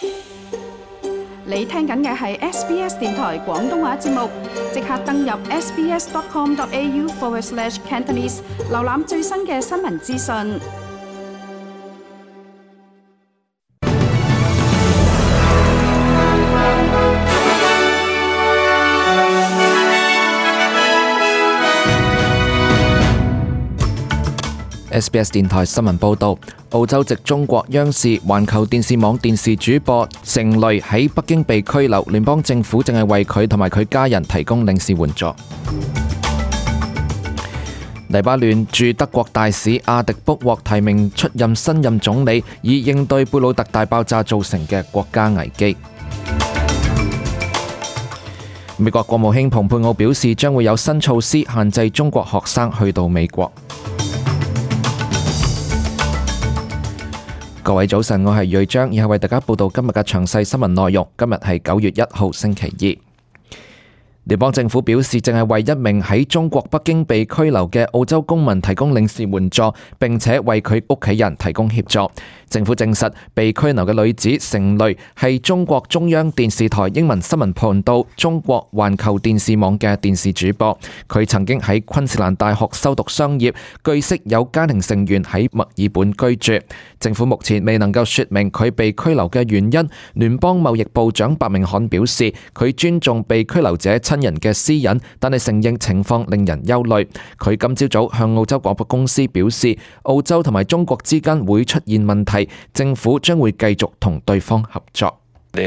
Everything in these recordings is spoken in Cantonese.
你聽緊嘅係 SBS 電台廣東話節目，即刻登入 sbs.com.au/Cantonese 瀏覽最新嘅新聞資訊。SBS 電台新聞報導，澳洲籍中國央視環球電視網電視主播成蕾喺北京被拘留，聯邦政府正係為佢同埋佢家人提供領事援助。黎巴嫩駐德國大使阿迪卜獲提名出任新任總理，以應對貝魯特大爆炸造成嘅國家危機。美國國務卿蓬佩奧表示，將會有新措施限制中國學生去到美國。各位早晨，我係瑞章，以下為大家報道今日嘅詳細新聞內容。今日係9月1號星期二。聯邦政府表示，正係為一名喺中國北京被拘留嘅澳洲公民提供領事援助，並且為佢屋企人提供協助。政府證實，被拘留嘅女子成蕾係中國中央電視台英文新聞頻道中國環球電視網嘅電視主播。佢曾經喺昆士蘭大學修讀商業，據悉有家庭成員喺墨爾本居住。政府目前未能夠說明佢被拘留嘅原因。聯邦貿易部長白明漢表示，佢尊重被拘留者親人嘅私隱，但係承認情況令人憂慮。佢今朝早向澳洲廣播公司表示，澳洲同埋中國之間會出現問題，政府將會繼續同對方合作。白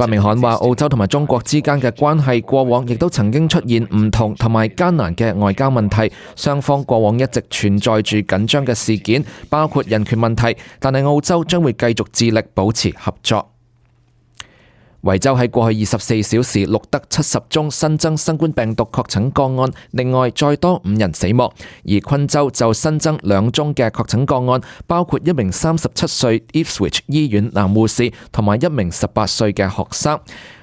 明漢話，澳洲同埋中國之間嘅關係過往亦都曾經出現唔同同埋艱難嘅外交問題，雙方過往一直存在住緊張嘅事件，包括人權問題，但係澳洲將會繼續致力保持合作。維州喺過去24小時錄得70宗新增新冠病毒確診個案，另外再多5人死亡。而昆州就新增2宗嘅確診個案，包括一名37歲 Ipswich 醫院男護士同埋一名18歲嘅學生。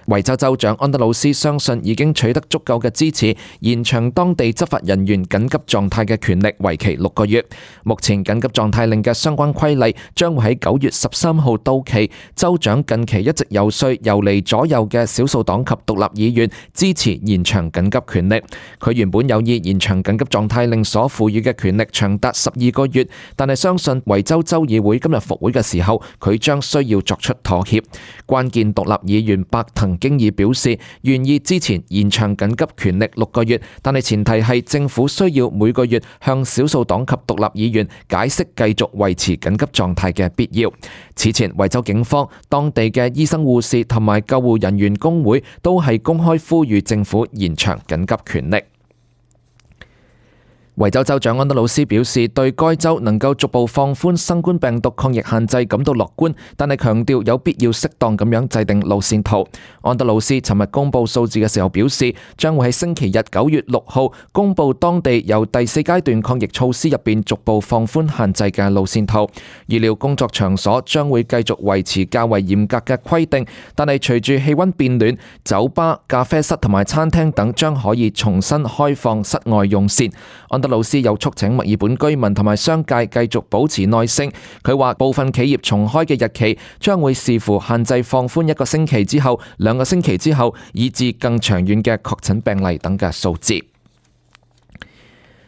維州州長安德魯斯相信已經取得足夠嘅支持，延長當地執法人員緊急狀態嘅權力為期6個月。目前緊急狀態令嘅相關規例將會喺9月13號到期。州長近期一直遊說游離左右嘅少數黨及獨立議員支持延長緊急權力。佢原本有意延長緊急狀態令所賦予嘅權力長達12個月，但係相信維州州議會今日復會嘅時候，佢將需要作出妥協。關鍵獨立議員白藤經已表示願意支持延長緊急權力6個月，但係前提係政府需要每個月向少數黨及獨立議員解釋繼續維持緊急狀態嘅必要。此前，維州警方、當地嘅醫生護士同埋救護人員工會都係公開呼籲政府延長緊急權力。維州州長安德魯斯表示，對該州能夠逐步放寬新冠病毒抗疫限制感到樂觀，但係強調有必要適當咁樣制定路線圖。安德魯斯尋日公布數字嘅時候表示，將會喺星期日9月6號公布當地由第4階段抗疫措施入邊逐步放寬限制嘅路線圖。預料工作場所將會繼續維持較為嚴格嘅規定，但係隨住氣溫變暖，酒吧、咖啡室同埋餐廳等將可以重新開放室外用膳。安德魯斯又促請墨爾本居民同埋商界繼續保持耐性。佢話部分企業重開嘅日期將會視乎限制放寬1個星期之後、2個星期之後，以至更長遠嘅確診病例等嘅數字。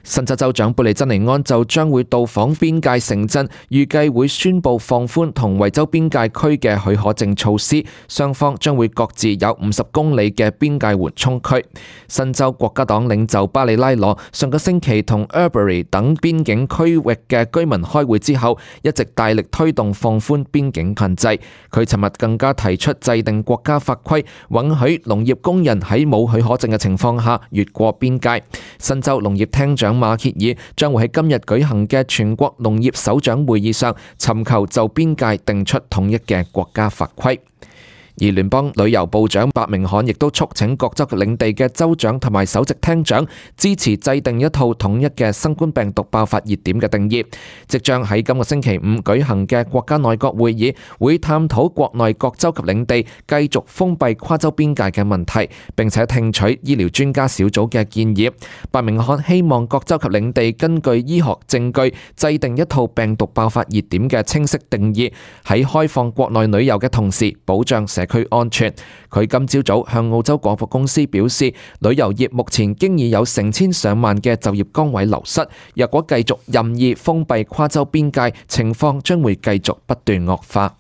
新州州長貝利珍尼安就將會到訪邊界城鎮，預計會宣布放寬同維州邊界區嘅許可證措施，雙方將會各自有50公里嘅邊界緩衝區。新州國家黨領袖巴里拉羅上個星期同 Albury 等邊境區域嘅居民開會之後，一直大力推動放寬邊境限制。佢尋日更加提出制定國家法規，允許農業工人喺冇許可證嘅情況下越過邊界。新州農業廳長馬歇爾將會喺今日舉行嘅全國農業首長會議上尋求就邊界定出統一嘅國家法規。而聯邦旅遊部長白明漢亦都促請各州領地嘅州長同埋首席廳長支持制定一套統一嘅新冠病毒爆發熱點嘅定義。即將喺今個星期五舉行嘅國家內閣會議會探討國內各州及領地繼續封閉跨州邊界嘅問題，並且聽取醫療專家小組嘅建議。白明漢希望各州及領地根據醫學證據制定一套病毒爆發熱點嘅清晰定義，喺開放國內旅遊嘅同時保障社區安全。佢今朝早向澳洲廣播公司表示，旅遊業目前經已有成千上萬嘅就業崗位流失，若果繼續任意封閉跨州邊界，情況將會繼續不斷惡化。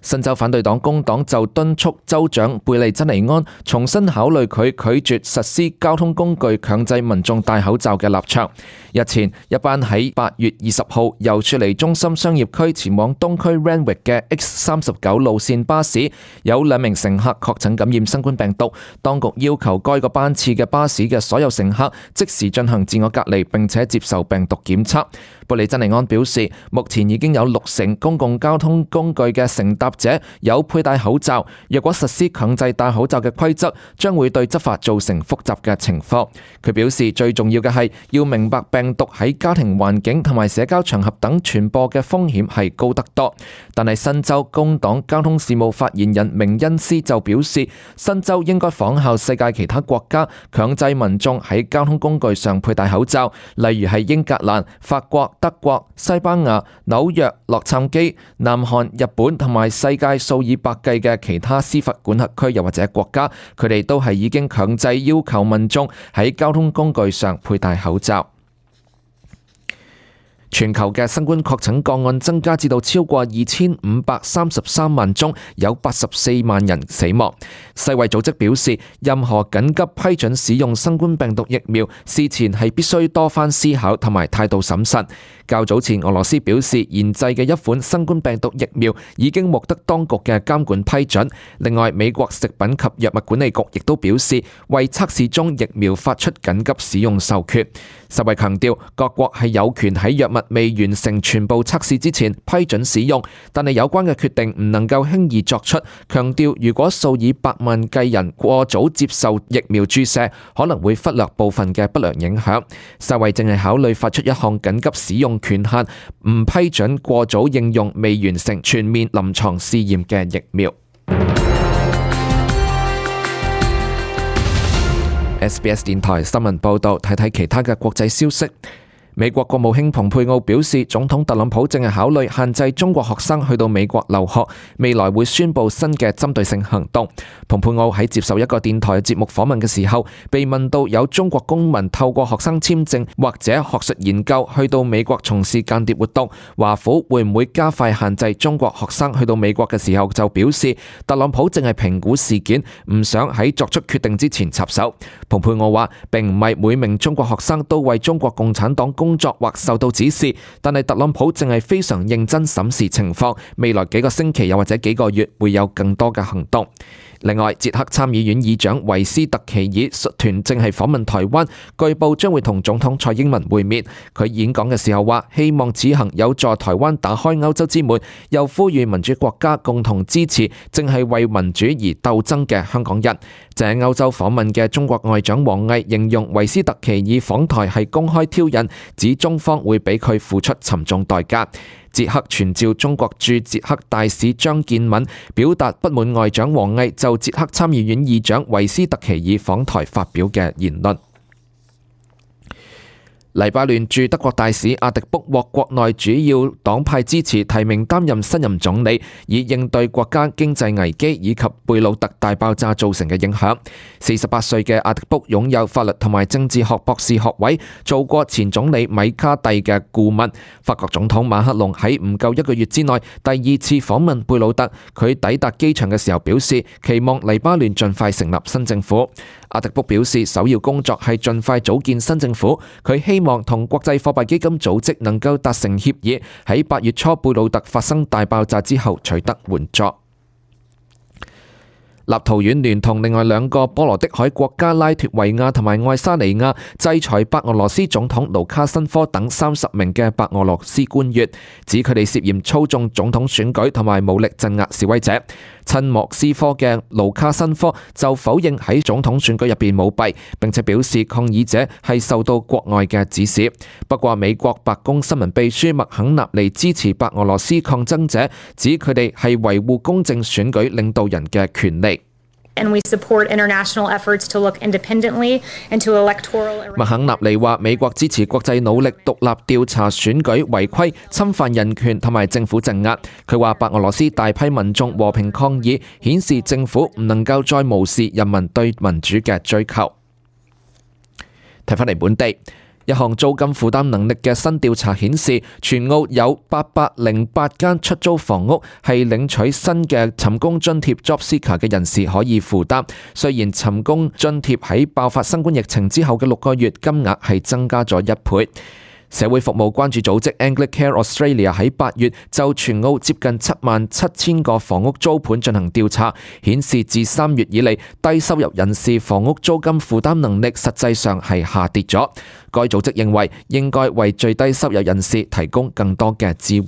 新州反對黨工黨就敦促州長貝利珍尼安重新考慮佢拒絕實施交通工具強制民眾戴口罩嘅立場。日前，一班喺8月20號由雪梨中心商業區前往東區 Randwick 嘅 X39 路線巴士，有2名乘客確診感染新冠病毒，當局要求該個班次嘅巴士嘅所有乘客即時進行自我隔離並且接受病毒檢測。貝利珍尼安表示，目前已經有60%公共交通工具嘅乘搭者有佩戴口罩，若果實施強制戴口罩嘅規則，將會對執法造成複雜嘅情況。佢表示，最重要嘅係要明白病毒喺家庭環境同埋社交場合等傳播嘅風險係高得多。但係新州工黨交通事務發言人明恩斯就表示，新州應該仿效世界其他國家，強制民眾喺交通工具上佩戴口罩，例如係英格蘭、法國、德國、西班牙、紐約、洛杉磯、南韓、日本同埋世界數以百計嘅其他司法管轄區又或者國家，佢哋都係已經強制要求民眾喺交通工具上佩戴口罩。全球嘅新冠確診個案增加至到超過2533萬宗，有84萬人死亡。世衛組織表示，任何緊急批准使用新冠病毒疫苗，事前係必須多番思考同埋態度審慎。較早前，俄羅斯表示研製嘅一款新冠病毒疫苗已經獲得當局嘅監管批准。另外，美國食品及藥物管理局亦都表示，為測試中疫苗發出緊急使用授權。世衛強調，各國係有權喺藥物未完成全部測試之前批准使用，但係有關嘅決定唔能夠輕易作出。強調，如果數以百萬計人過早接受疫苗注射，可能會忽略部分嘅不良影響。世衛正係考慮發出一項緊急使用權限，唔批准過早應用未完成全面臨床試驗嘅疫苗。SBS 電台新聞報道，睇睇其他嘅國際消息。美國國務卿蓬佩奧表示，總統特朗普正係考慮限制中國學生去到美國留學，未來會宣布新嘅針對性行動。蓬佩奧喺接受一個電台節目訪問嘅時候，被問到有中國公民透過學生簽證或者學術研究去到美國從事間諜活動，華府會唔會加快限制中國學生去到美國嘅時候，就表示特朗普正係評估事件，唔想喺作出決定之前插手。蓬佩奧話，並唔係每名中國學生都為中國共產黨工作或受到指示，但係特朗普正係非常認真審視情況，未來幾個星期又或者幾個月會有更多嘅行動。另外，捷克參議院議長維斯特奇爾率團正係訪問台灣，據報將會同總統蔡英文會面。佢演講嘅時候話，希望此行有助台灣打開歐洲之門，又呼籲民主國家共同支持正係為民主而鬥爭嘅香港人。正喺歐洲訪問嘅中國外長王毅形容維斯特奇爾訪台係公開挑釁，指中方會俾佢付出沉重代價。捷克傳召中國駐捷克大使張建敏表達不滿外長王毅就捷克參議院議長維斯特奇爾訪台發表嘅言論。黎巴嫩駐德國大使阿迪卜獲國內主要黨派支持，提名擔任新任總理，以應對國家經濟危機以及貝魯特大爆炸造成嘅影響。48歲嘅阿迪卜擁有法律同埋政治學博士學位，做過前總理米卡蒂嘅顧問。法國總統馬克龍喺唔夠1個月之內第2次訪問貝魯特，佢抵達機場嘅時候表示，期望黎巴嫩盡快成立新政府。阿迪卜表示，首要工作係盡快組建新政府，佢希望同國際貨幣基金組織能夠達成協議，喺8月初貝魯特發生大爆炸之後取得援助。立陶宛聯同另外兩個波羅的海國家拉脫維亞同埋愛沙尼亞制裁白俄羅斯總統盧卡申科等30名嘅白俄羅斯官員，指佢哋涉嫌操縱總統選舉同埋武力鎮壓示威者。親莫斯科嘅盧卡申科就否認喺總統選舉入邊舞弊，並且表示抗議者係受到國外嘅指使。不過美國白宮新聞秘書麥肯納尼支持白俄羅斯抗爭者，指佢哋係維護公正選舉領導人嘅權利。And we support international efforts to look independently into electoral. 麥肯納尼話：美國支持國際努力獨立調查選舉違規、侵犯人權同埋政府鎮壓。佢話白俄羅斯大批民眾和平抗議，顯示政府唔能夠再無視人民對民主嘅追求。睇返嚟本地。一項租金負擔能力嘅新調查顯示，全澳有808間出租房屋係領取新嘅尋工津貼 Job Seeker 嘅人士可以負擔。雖然尋工津貼喺爆發新冠疫情之後嘅6個月金額係增加咗1倍。社會服務關注組織 Anglicare Australia 喺8月就全澳接近77000個房屋租盤進行調查，顯示自3月以嚟，低收入人士房屋租金負擔能力實際上係下跌咗。該組織認為應該為最低收入人士提供更多嘅支援。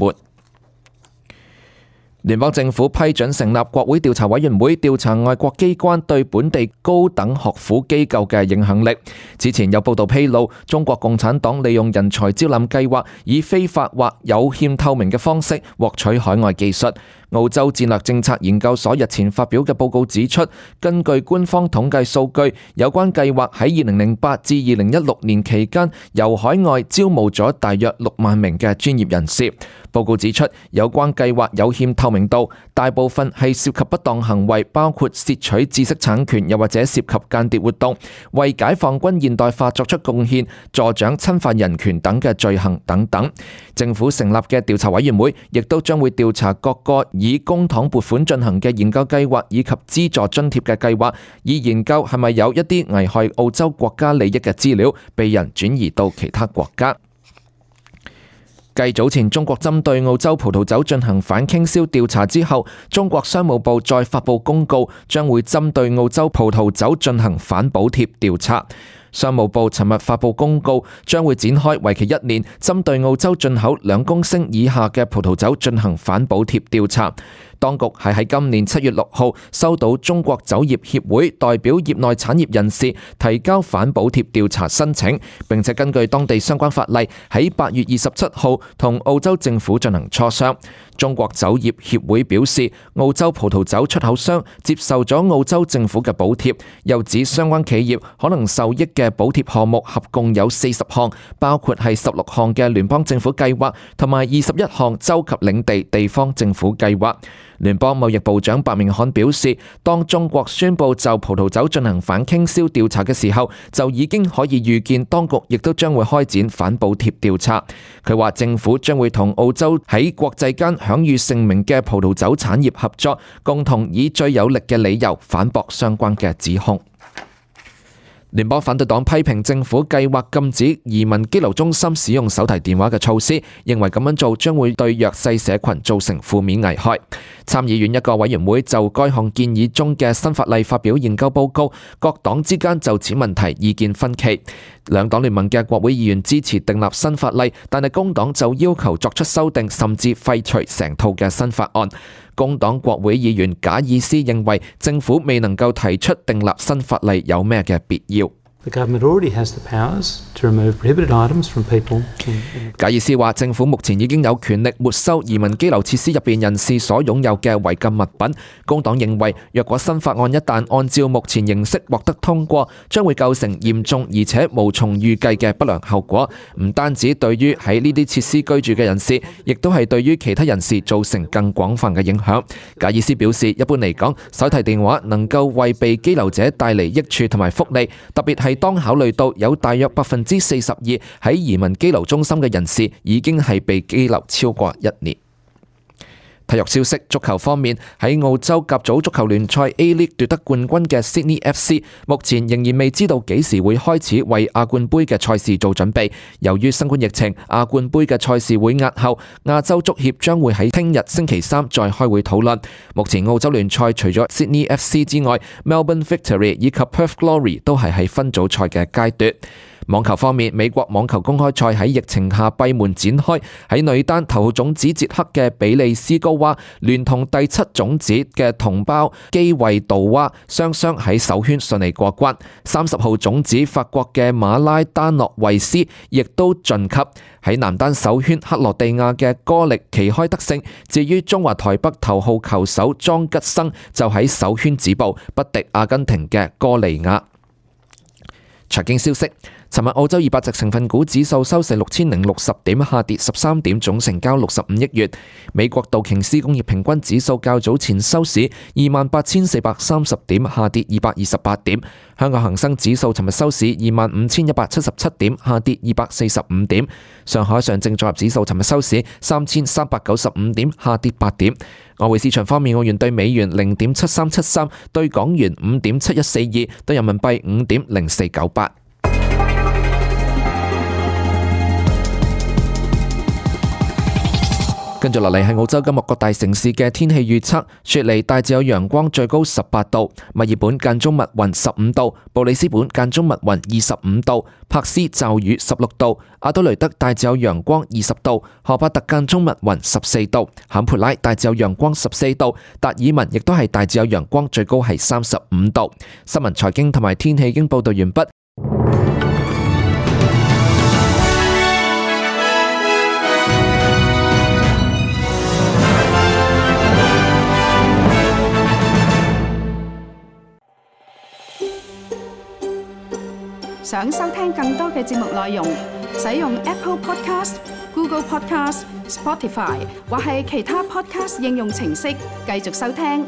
聯邦政府批准成立國會調查委員會，調查外國機關對本地高等學府機構嘅影響力。之前有報道披露，中國共產黨利用人才招攬計劃，以非法或有欠透明嘅方式獲取海外技術。澳洲戰略政策研究所日前發表嘅報告指出，根據官方統計數據，有關計劃喺2008至2016年期間，由海外招募咗大約6萬名嘅專業人士。報告指出，有關計劃有欠透明度，大部分係涉及不當行為，包括竊取知識產權，又或者涉及間諜活動、為解放軍現代化作出貢獻、助長侵犯人權等嘅罪行等等。政府成立嘅調查委員會亦都將會調查各個以公帑撥款進行嘅研究計劃以及資助津貼嘅計劃，以研究係咪有一啲危害澳洲國家利益嘅資料被人轉移到其他國家。繼早前中國針對澳洲葡萄酒進行反傾銷調查之後，中國商務部再發布公告，將會針對澳洲葡萄酒進行反補貼調查。商務部尋日發布公告，將會展開為期1年，針對澳洲進口2公升以下嘅葡萄酒進行反補貼調查。當局係喺今年7月6號收到中國酒業協會代表業內產業人士提交反補貼調查申請，並且根據當地相關法例喺8月27號同澳洲政府進行磋商。中國酒業協會表示，澳洲葡萄酒出口商接受咗澳洲政府嘅補貼，又指相關企業可能受益嘅補貼項目合共有40項，包括係16項嘅聯邦政府計劃同埋21項州及領地地方政府計劃。聯邦貿易部長白明漢表示，當中國宣布就葡萄酒進行反傾銷調查嘅時候，就已經可以預見當局亦都將會開展反補貼調查。佢話政府將會同澳洲喺國際間享譽盛名嘅葡萄酒產業合作，共同以最有力嘅理由反駁相關嘅指控。聯邦反對黨批評政府計劃禁止移民羈留中心使用手提電話嘅措施，認為咁樣做將會對弱勢社群造成負面危害。參議院一個委員會就該項建議中嘅新法例發表研究報告，各黨之間就此問題意見分歧。兩黨聯盟嘅國會議員支持訂立新法例，但係工黨就要求作出修訂，甚至廢除成套嘅新法案。工黨國會議員賈爾斯認為政府未能夠提出訂立新法例有咩嘅必要。賈爾斯話：政府目前已經有權力沒收移民羈留設施入邊人士所擁有嘅違禁物品。工黨認為，若果新法案一旦按照目前形式獲得通過，將會構成嚴重而且無從預計嘅不良後果，唔單止對於喺呢啲設施居住嘅人士，亦都係對於其他人士造成更廣泛嘅影響。賈爾斯表示，一般嚟講，手提電話能夠為被羈留者帶嚟益處同埋福利，特別係當考慮到有大約42%喺移民羈留中心嘅人士已經係被羈留超過1年。體育消息，足球方面，喺澳洲甲組足球聯賽 A-League 奪得冠軍嘅 Sydney FC， 目前仍然未知道幾時會開始為亞冠杯嘅賽事做準備。由於新冠疫情，亞冠杯嘅賽事會押後，亞洲足協將會喺聽日星期三再開會討論。目前澳洲聯賽除咗 Sydney FC 之外， Melbourne Victory 以及 Perth Glory 都係喺分組賽嘅階段。網球方面，美國網球公開賽喺疫情下閉門展開，喺女單頭號種子捷克嘅比利斯高娃聯同第7種子嘅同胞基維杜娃雙雙喺首圈順利過關。30號種子法國嘅馬拉丹諾維斯亦都晉級。喺男單首圈，克羅地亞嘅哥力旗開得勝，至於中華台北頭號球手莊吉生就喺首圈止步，不敵阿根廷嘅哥利亞。財經消息，尋日澳洲200隻成分股指數收市6060點，下跌13點，總成交65億元。美國道瓊斯工業平均指數較早前收市28,430點，下跌228點。香港恒生指數尋日收市25,177點，下跌245點。上海上證綜合指數尋日收市3,395點，下跌8點。外匯市場方面，澳元對美元0.7373，對港元5.7142，對人民幣5.0498。跟住落嚟係澳洲今日各大城市嘅天氣預測：雪梨大致有陽光，最高18度；墨爾本間中密雲15度；布里斯本間中密雲25度；珀斯驟雨16度；阿德雷德大致有陽光20度；荷巴特間中密雲14度；坎培拉大致有陽光14度；達爾文亦都係大致有陽光，最高係35度。新聞、財經同埋天氣已經報道完畢。想收聽更多嘅節目內容，使用 Apple Podcast、Google Podcast、Spotify 或係其他 Podcast 應用程式繼續收聽。